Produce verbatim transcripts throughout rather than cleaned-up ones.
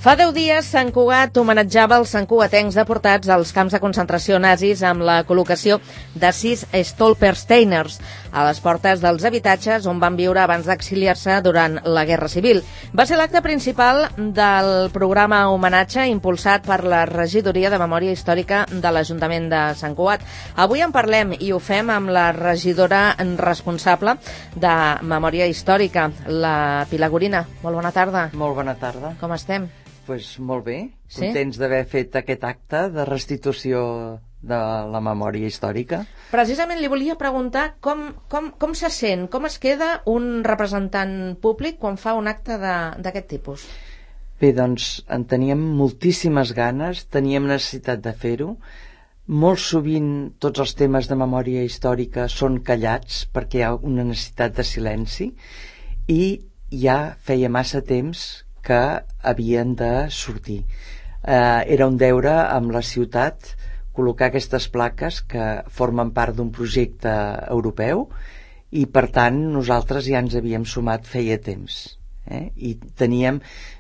Fa deu dies, Sant Cugat homenatjava els santcugatencs deportats als camps de concentració nazis amb la col·locació de sis Stolpersteiners a les portes dels habitatges on van viure abans d'exiliar-se durant la Guerra Civil. Va ser l'acte principal del programa homenatge impulsat per la Regidoria de Memòria Històrica de l'Ajuntament de Sant Cugat. Avui en parlem i ho fem amb la regidora responsable de Memòria Històrica, la Pilar Gorina. Molt bona tarda. Molt bona tarda. Com estem? Pues molt bé, sí? Contents d'haver fet aquest acte de restitució de la memòria històrica. Precisament li volia preguntar com, com, com se sent, com es queda un representant públic quan fa un acte d'aquest tipus? Bé, doncs en teníem moltíssimes ganes, teníem necessitat de fer-ho. Molt sovint tots els temes de memòria històrica són callats perquè hi ha una necessitat de silenci i ja feia massa temps que havien de sortir. Eh, era un deure amb la ciutat col·locar aquestes plaques que formen part d'un projecte europeu i per tant nosaltres ja ens havíem sumat feia temps. Eh? I teníem,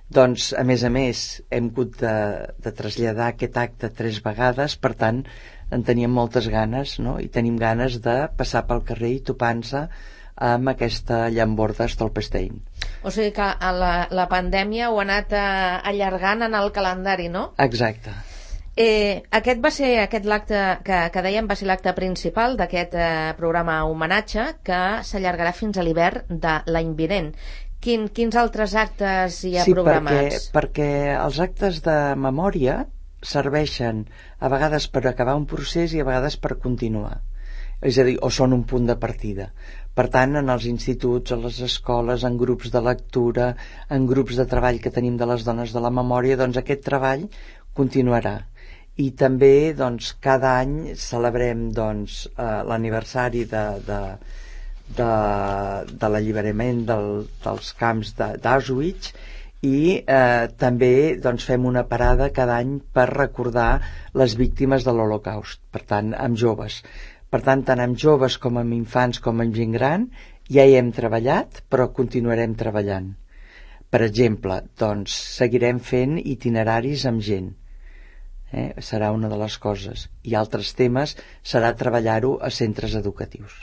doncs, a més a més, hem hagut de, de traslladar aquest acte tres vegades, per tant en teníem moltes ganes, no? I tenim ganes de passar pel carrer i topar-se amb aquesta llamborda Stolperstein. O sigui que la, la pandèmia ho ha anat eh, allargant en el calendari, no? Exacte. Eh, aquest va ser aquest l'acte que, que dèiem va ser l'acte principal d'aquest eh, programa homenatge que s'allargarà fins a l'hivern de l'any vinent. Quin, quins altres actes hi ha sí, programats? Sí, perquè, perquè els actes de memòria serveixen a vegades per acabar un procés i a vegades per continuar. És a dir, o són un punt de partida. Per tant, en els instituts, a les escoles, en grups de lectura, en grups de treball que tenim de les dones de la memòria, doncs aquest treball continuarà. I també, doncs, cada any celebrem doncs, eh, l'aniversari de, de, de, de l'alliberament del, dels camps d'Auschwitz i eh, també doncs, fem una parada cada any per recordar les víctimes de l'Holocaust, per tant, amb joves. Per tant, tant amb joves com amb infants com amb gent gran ja hi hem treballat, però continuarem treballant. Per exemple, doncs, seguirem fent itineraris amb gent. Eh? Serà una de les coses. I altres temes serà treballar-ho a centres educatius.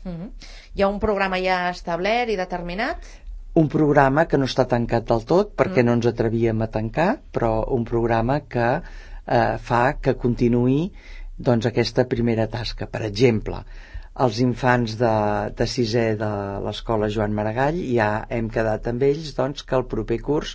Mm-hmm. Hi ha un programa ja establert i determinat? Un programa que no està tancat del tot, perquè mm. no ens atrevíem a tancar, però un programa que eh, fa que continuï doncs aquesta primera tasca. Per exemple, els infants de, de sisè de l'escola Joan Maragall ja hem quedat amb ells doncs, que el proper curs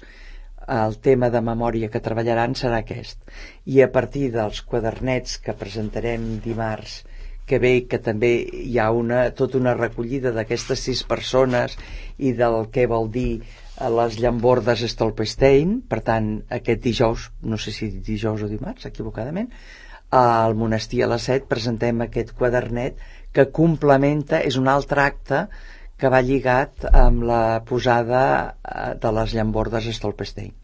el tema de memòria que treballaran serà aquest. I a partir dels quadernets que presentarem dimarts que ve, que també hi ha una, tota una recollida d'aquestes sis persones i del que vol dir les llambordes Stolperstein, per tant aquest dijous, no sé si dijous o dimarts, equivocadament, al monestir a les set presentem aquest quadernet que complementa, és un altre acte que va lligat amb la posada de les llambordes Stolperstein.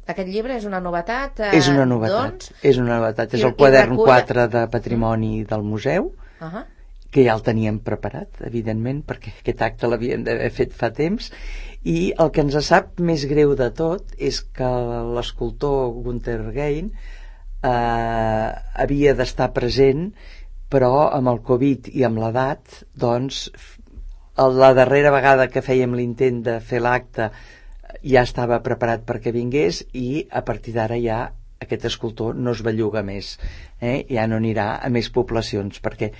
Aquest llibre és una novetat? Eh, és una novetat, doncs? és una novetat. És I, el quadern recull... quatre de Patrimoni del Museu, uh-huh. que ja el teníem preparat, evidentment, perquè aquest acte l'havien d'haver fet fa temps, i el que ens sap més greu de tot és que l'escultor Gunther Gein Eh, havia d'estar present, però amb el Covid i amb l'edat, doncs la darrera vegada que fèiem l'intent de fer l'acte ja estava preparat perquè vingués i a partir d'ara ja aquest escultor no es belluga més, eh? Ja no anirà a més poblacions, perquè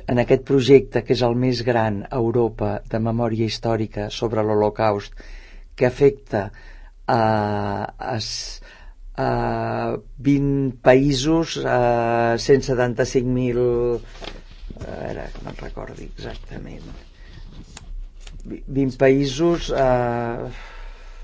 en aquest projecte, que és el més gran a Europa de memòria històrica sobre l'Holocaust, que afecta a, a Uh, vint països, uh, cent setanta-cinc mil, ara que me'n recordi exactament, vint països. Uh...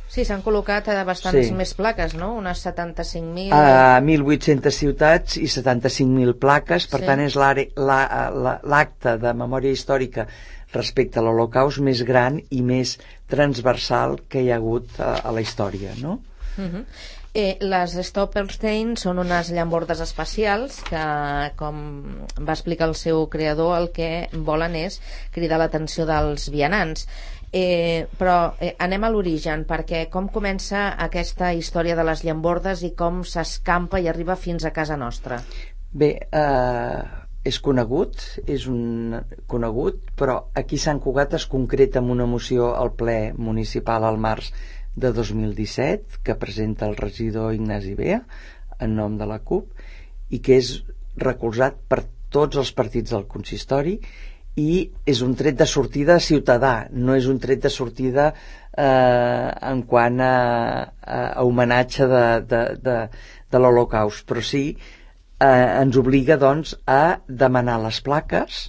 Sí, s'han col·locat bastants sí. més plaques, no? Unes setanta-cinc mil... Uh, mil vuit-centes ciutats i setanta-cinc mil plaques, per sí. tant és l'acte de memòria històrica respecte a l'Holocaust més gran i més transversal que hi ha hagut a, a la història, no? Uh-huh. Eh, les Stolperstein són unes llambordes espacials que, com va explicar el seu creador, el que volen és cridar l'atenció dels vianants. Eh, però eh, anem a l'origen, perquè com comença aquesta història de les llambordes i com s'escampa i arriba fins a casa nostra? Bé, eh, és conegut, és un conegut, però aquí a Sant Cugat es concreta amb una moció al ple municipal al març de dos mil disset que presenta el regidor Ignasi Bea en nom de la CUP i que és recolzat per tots els partits del consistori i és un tret de sortida ciutadà, no és un tret de sortida eh, en quant a, a, a homenatge de, de, de, de l'Holocaust, però sí eh, ens obliga doncs a demanar les plaques,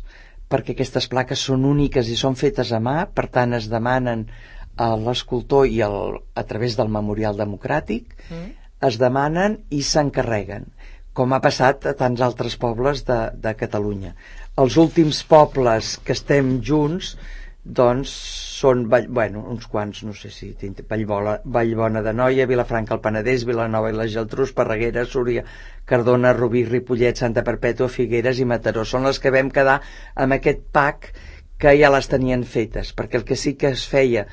perquè aquestes plaques són úniques i són fetes a mà, per tant es demanen a l'escultor i el, a través del Memorial Democràtic, mm. es demanen i s'encarreguen, com ha passat a tants altres pobles de, de Catalunya. Els últims pobles que estem junts doncs són bueno, uns quants, no sé si Vallbona, Vallbona d'Anoia, Vilafranca el Penedès, Vilanova i la Geltrú, Esparreguera, Súria, Cardona, Rubí, Ripollet, Santa Perpètua, Figueres i Mataró. Són les que vam quedar amb aquest pack que ja les tenien fetes, perquè el que sí que es feia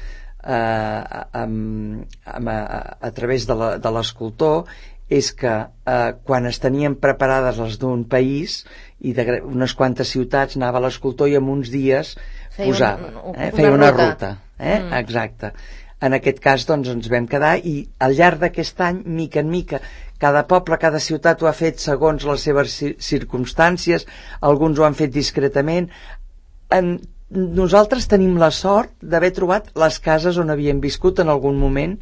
eh, amb, amb, a, a través de l'escultor és que eh, quan es tenien preparades les d'un país i d'unes quantes ciutats anava l'escultor i en uns dies feia posava, un, eh, feia una, una ruta, ruta eh? mm. exacte. En aquest cas doncs ens vam quedar i al llarg d'aquest any, mica en mica, cada poble, cada ciutat ho ha fet segons les seves circumstàncies, alguns ho han fet discretament. En, nosaltres tenim la sort d'haver trobat les cases on havien viscut en algun moment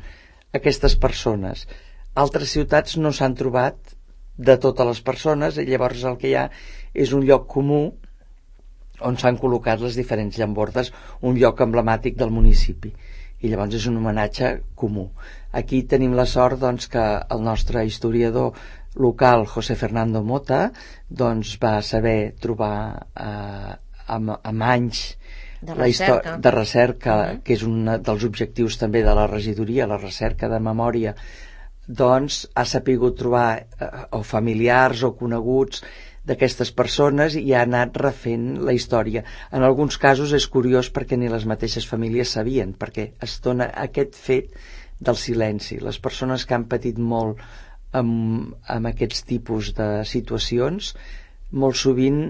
aquestes persones. Altres ciutats no s'han trobat de totes les persones i llavors el que hi ha és un lloc comú on s'han col·locat les diferents llambordes, un lloc emblemàtic del municipi i llavors és un homenatge comú. Aquí tenim la sort doncs, que el nostre historiador local, José Fernando Mota, doncs, va saber trobar eh, amb, amb anys de la història de recerca, uh-huh. que és un dels objectius també de la regidoria, la recerca de memòria, doncs ha sapigut trobar eh, o familiars o coneguts d'aquestes persones i ha anat refent la història. En alguns casos és curiós perquè ni les mateixes famílies sabien, perquè es dona aquest fet del silenci. Les persones que han patit molt amb, amb aquests tipus de situacions molt sovint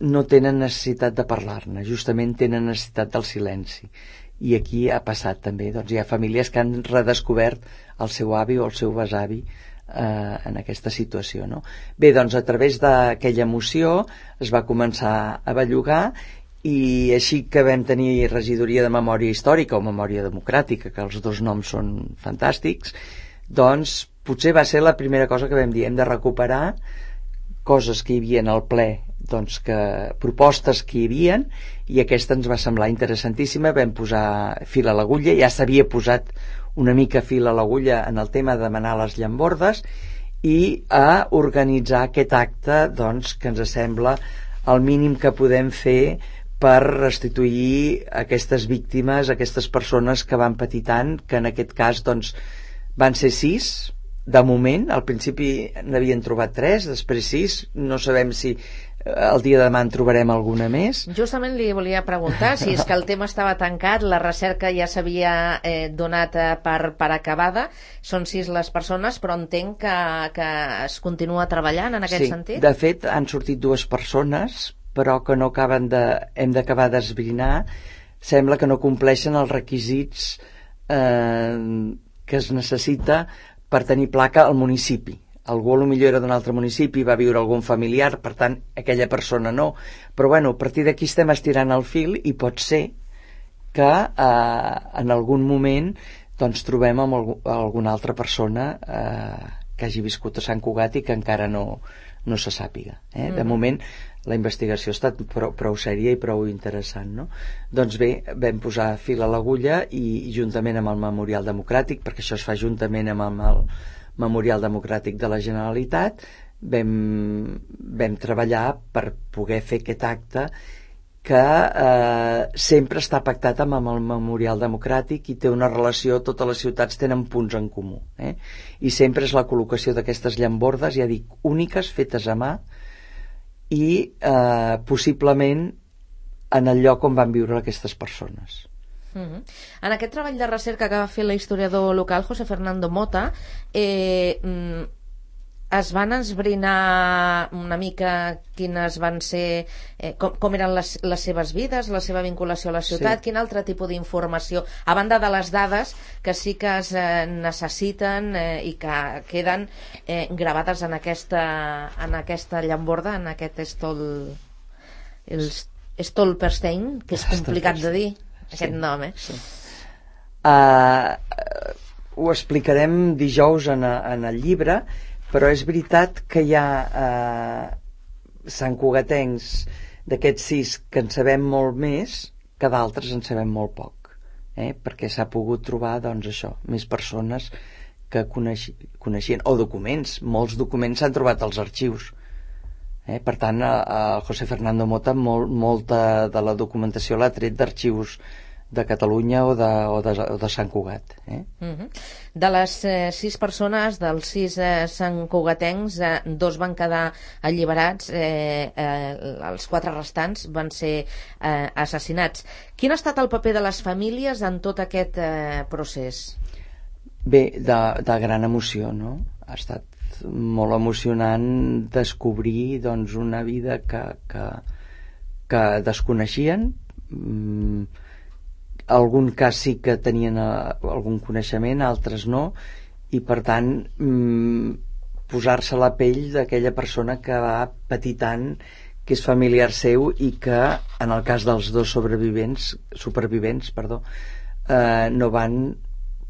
no tenen necessitat de parlar-ne, justament tenen necessitat del silenci. I aquí ha passat també, doncs hi ha famílies que han redescobert el seu avi o el seu besavi eh, en aquesta situació, no? Bé, doncs a través d'aquella moció es va començar a bellugar i així que vam tenir regidoria de memòria històrica o memòria democràtica, que els dos noms són fantàstics, doncs potser va ser la primera cosa que vam dir, hem de recuperar coses que hi havia al ple, doncs que propostes que hi havia, i aquesta ens va semblar interessantíssima. Vam posar fil a l'agulla, ja s'havia posat una mica fil a l'agulla en el tema de demanar les llambordes i a organitzar aquest acte doncs, que ens sembla el mínim que podem fer per restituir aquestes víctimes, aquestes persones que van patir tant, que en aquest cas doncs, van ser sis de moment. Al principi n'havien trobat tres, després sis, no sabem si el dia de demà en trobarem alguna més. Justament li volia preguntar si és que el tema estava tancat, la recerca ja s'havia eh, donat eh, per, per acabada, són sis les persones, però entenc que, que es continua treballant en aquest sí, sentit? De fet han sortit dues persones però que no acaben de, hem d'acabar d'esbrinar, sembla que no compleixen els requisits eh, que es necessita per tenir placa al municipi. Algú potser era d'un altre municipi, va viure algun familiar, per tant aquella persona no, però bueno, a partir d'aquí estem estirant el fil i pot ser que eh, en algun moment doncs trobem amb algú, alguna altra persona eh, que hagi viscut a Sant Cugat i que encara no, no se sàpiga, eh? Mm. De moment la investigació ha estat prou, prou sèria i prou interessant, no? Doncs bé, vam posar fil a l'agulla i, i juntament amb el Memorial Democràtic, perquè això es fa juntament amb el, el Memorial Democràtic de la Generalitat, vam, vam treballar per poder fer aquest acte que eh, sempre està pactat amb, amb el Memorial Democràtic i té una relació, totes les ciutats tenen punts en comú, eh? I sempre és la col·locació d'aquestes llambordes, ja dic, úniques, fetes a mà i eh, possiblement en el lloc on van viure aquestes persones. Uh-huh. En aquest treball de recerca que va fer l'historiador local José Fernando Mota, eh, es van esbrinar una mica quines van ser, eh, com, com eren les, les seves vides, la seva vinculació a la ciutat, sí. Quin altre tipus d'informació, a banda de les dades que sí que es eh, necessiten eh, i que queden eh, gravades en aquesta, en aquesta llamborda, en aquest Stol, el Stolperstein, que és complicat de dir, aquest sí, nom, eh? Sí. Uh, ho explicarem dijous en, a, en el llibre, però és veritat que hi ha eh, santcugatencs d'aquests sis que en sabem molt més que d'altres en sabem molt poc, eh? Perquè s'ha pogut trobar, doncs això, més persones que coneixi, coneixien, o documents, molts documents s'han trobat als arxius, eh? Per tant el José Fernando Mota molt, molta de la documentació l'ha tret d'arxius de Catalunya o de, o de, o de Sant Cugat, eh? Uh-huh. De les eh, sis persones, dels sis eh, santcugatencs, eh, dos van quedar alliberats, eh, eh, els quatre restants van ser eh, assassinats. Quin ha estat el paper de les famílies en tot aquest eh, procés? Bé, de, de gran emoció, no? Ha estat molt emocionant descobrir, doncs, una vida que, que, que desconeixien. mm, algun cas sí que tenien uh, algun coneixement, altres no, i per tant mm, posar-se a la pell d'aquella persona que va patir tant, que és familiar seu i que en el cas dels dos sobrevivents supervivents perdó, eh, no van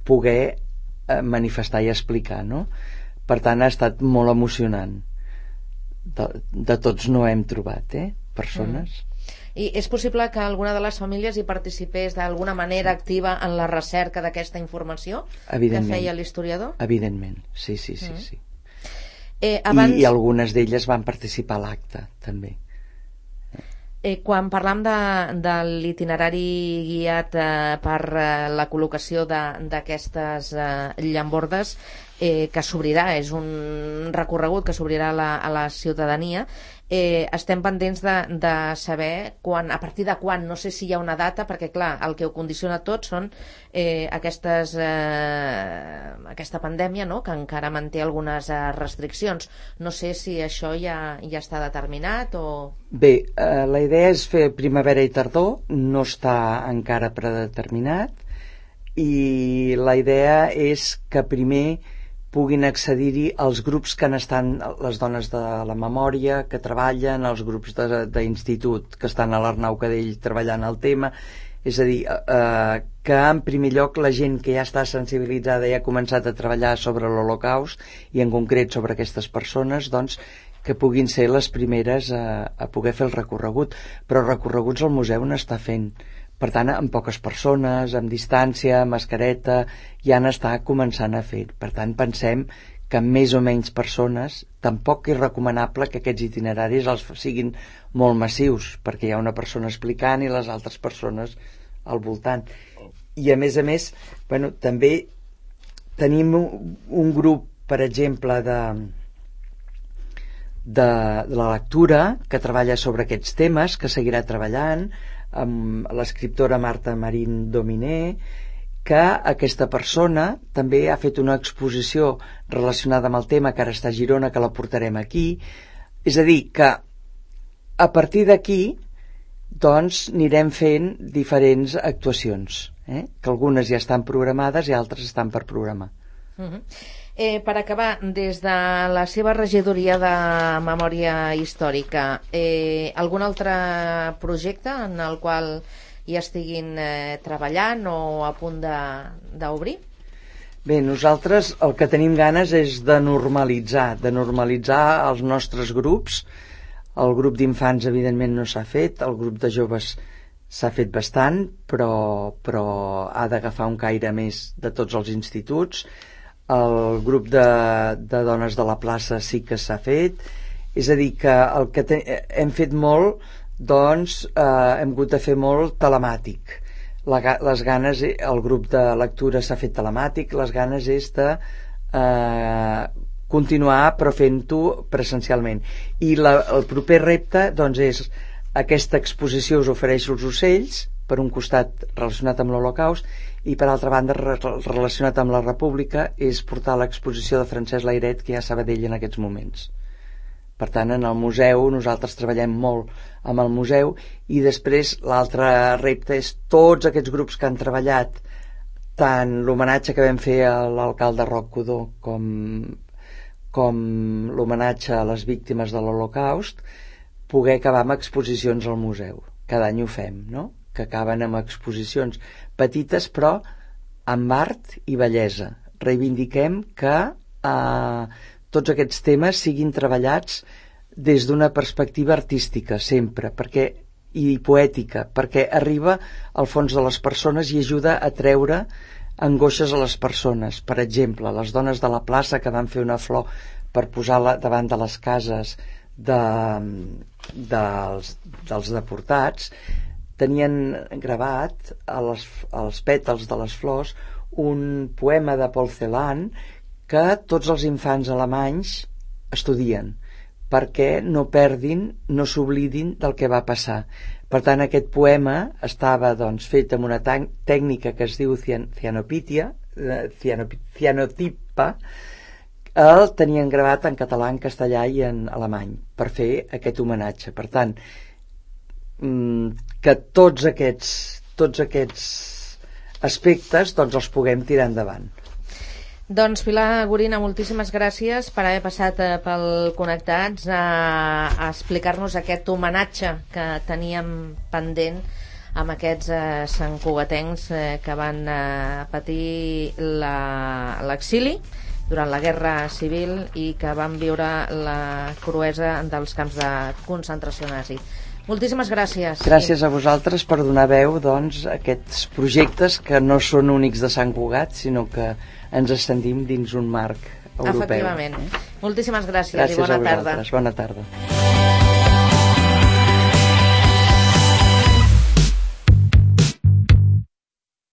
poder eh, manifestar i explicar, no? Per tant ha estat molt emocionant. De, de tots no hem trobat, eh, persones. Mm. I és possible que alguna de les famílies hi participés d'alguna manera activa en la recerca d'aquesta informació que feia l'historiador? Evidentment, sí, sí, sí, mm. sí. Eh, abans... I, I algunes d'elles van participar a l'acte, també. Eh, quan parlam de, de l'itinerari guiat eh, per eh, la col·locació d'aquestes eh, llambordes eh, que s'obrirà, és un recorregut que s'obrirà a, la, a la ciutadania, eh, estem pendents de, de saber quan, a partir de quan, no sé si hi ha una data, perquè clar, el que ho condiciona tot són eh, aquestes, eh, aquesta pandèmia, no?, que encara manté algunes eh, restriccions. No sé si això ja, ja està determinat o... Bé, eh, la idea és fer primavera i tardor, no està encara predeterminat, i la idea és que primer puguin accedir-hi els grups que n'estan, les dones de la memòria que treballen, els grups d'institut que estan a l'Arnau Cadell treballant el tema, és a dir, eh, que en primer lloc la gent que ja està sensibilitzada i ha començat a treballar sobre l'Holocaust i en concret sobre aquestes persones, doncs que puguin ser les primeres a, a poder fer el recorregut, però recorreguts al museu n'està fent. Per tant, amb poques persones, amb distància, amb mascareta, ja n'està començant a fer. Per tant, pensem que amb més o menys persones tampoc és recomanable que aquests itineraris els siguin molt massius, perquè hi ha una persona explicant i les altres persones al voltant. I a més a més, bueno, també tenim un grup, per exemple, de, de, de la lectura que treballa sobre aquests temes, que seguirà treballant, amb l'escriptora Marta Marín Dominé, que aquesta persona també ha fet una exposició relacionada amb el tema, que ara està a Girona, que la portarem aquí. És a dir, que a partir d'aquí doncs anirem fent diferents actuacions, eh? Que algunes ja estan programades i altres estan per programar. Uh-huh. Eh, per acabar, des de la seva regidoria de memòria històrica, eh, algun altre projecte en el qual hi estiguin eh, treballant o a punt d'obrir? Bé, nosaltres el que tenim ganes és de normalitzar, de normalitzar els nostres grups. El grup d'infants evidentment no s'ha fet, el grup de joves s'ha fet bastant, però, però ha d'agafar un caire més de tots els instituts. El grup de, de dones de la plaça sí que s'ha fet, és a dir que el que te, hem fet molt, doncs eh, hem hagut de fer molt telemàtic. La, les ganes, el grup de lectura s'ha fet telemàtic, les ganes és de eh, continuar però fent-ho presencialment. I la, el proper repte doncs és aquesta exposició Us ofereixo els ocells, per un costat relacionat amb l'Holocaust i per altra banda relacionat amb la República és portar l'exposició de Francesc Layret, que hi ha a Sabadell en aquests moments. Per tant, en el museu nosaltres treballem molt amb el museu i després l'altre repte és tots aquests grups que han treballat, tant l'homenatge que vam fer a l'alcalde Roc Codó com, com l'homenatge a les víctimes de l'Holocaust, poder acabar amb exposicions al museu. Cada any ho fem, no? Que acaben amb exposicions petites però amb art i bellesa. Reivindiquem que eh, tots aquests temes siguin treballats des d'una perspectiva artística sempre, perquè, i poètica, perquè arriba al fons de les persones i ajuda a treure angoixes a les persones. Per exemple, les dones de la plaça que van fer una flor per posar-la davant de les cases de, dels, dels deportats, tenien gravat a les, als pètals de les flors un poema de Paul Celan que tots els infants alemanys estudien perquè no perdin, no s'oblidin del que va passar. Per tant, aquest poema estava doncs, fet amb una tècnica que es diu cianopitia, cianotipa, el tenien gravat en català, en castellà i en alemany per fer aquest homenatge. Per tant, que tots aquests, tots aquests aspectes doncs, els puguem tirar endavant. Doncs Pilar Gorina, moltíssimes gràcies per haver passat pel Connectats a, a explicar-nos aquest homenatge que teníem pendent amb aquests eh, santcugatencs eh, que van eh, patir l'exili durant la Guerra Civil i que van viure la cruesa dels camps de concentració nazi. Moltíssimes gràcies. Gràcies a vosaltres per donar veu doncs, a aquests projectes que no són únics de Sant Cugat, sinó que ens estendim dins un marc europeu. Efectivament. Moltíssimes gràcies, gràcies i bona a vosaltres. tarda. Bona tarda.